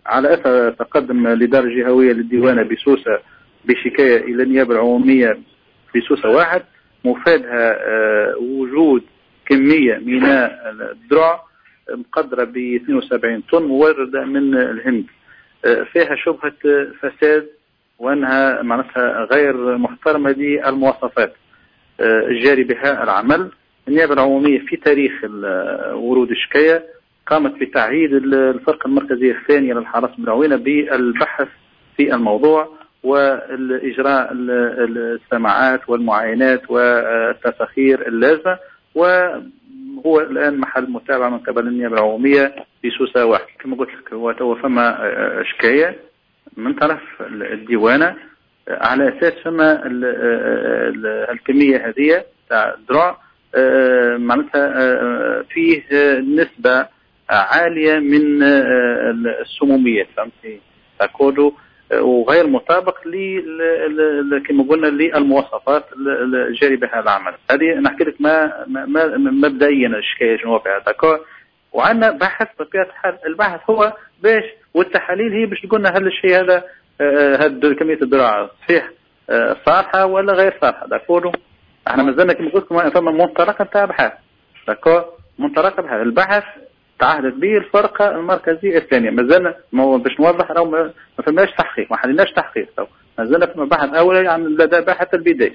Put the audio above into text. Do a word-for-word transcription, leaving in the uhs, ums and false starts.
على اثر تقدم الادارة الجهوية للديوانه بسوسه بشكايه الى النيابة العمومية بسوسه واحد، مفادها آه، وجود كمية من الدرع مقدره ب اثنين وسبعين طن مورده من الهند، آه، فيها شبهه فساد وانها معناتها غير محترمه للمواصفات آه، الجاري بها العمل. النيابة العمومية في تاريخ ورود الشكاية قامت بتعهيد الفرقة المركزية الثانية للحرس بالعوينه بالبحث في الموضوع والإجراء السماعات والمعاينات والتساخير اللازمة، وهو الآن محل متابعة من قبل النيابة العمومية في سوسة واحد. كما قلت لك هو تو فما شكاية من طرف الديوانة على أساس فما الكمية هذه تاع الدرع معناتها فيه نسبة عالية من السمومية، فهمتي تاكودو، وغير مطابق ل كما قلنا للمواصفات الجاري بها العمل. هذه نحكي لك ما, ما مبدئيا الشكاية شنو فيها d'accord. وعندنا بحث بطبيعة الحال، البحث هو باش والتحاليل هي باش تقولنا هل الشيء هذا هل كمية الدرع صحيح صالحه ولا غير صالحه d'accord. احنا مازلنا كما قلت لكم فما منطلق نتاع بحث d'accord، منطلق بحث، البحث تعهدت به الفرقة المركزية الثانية. مازلنا باش نوضح راهو ما فماش تحقيق، ما حليناش تحقيق، مازلنا فما بحث اولي عن لدى باحث البداية.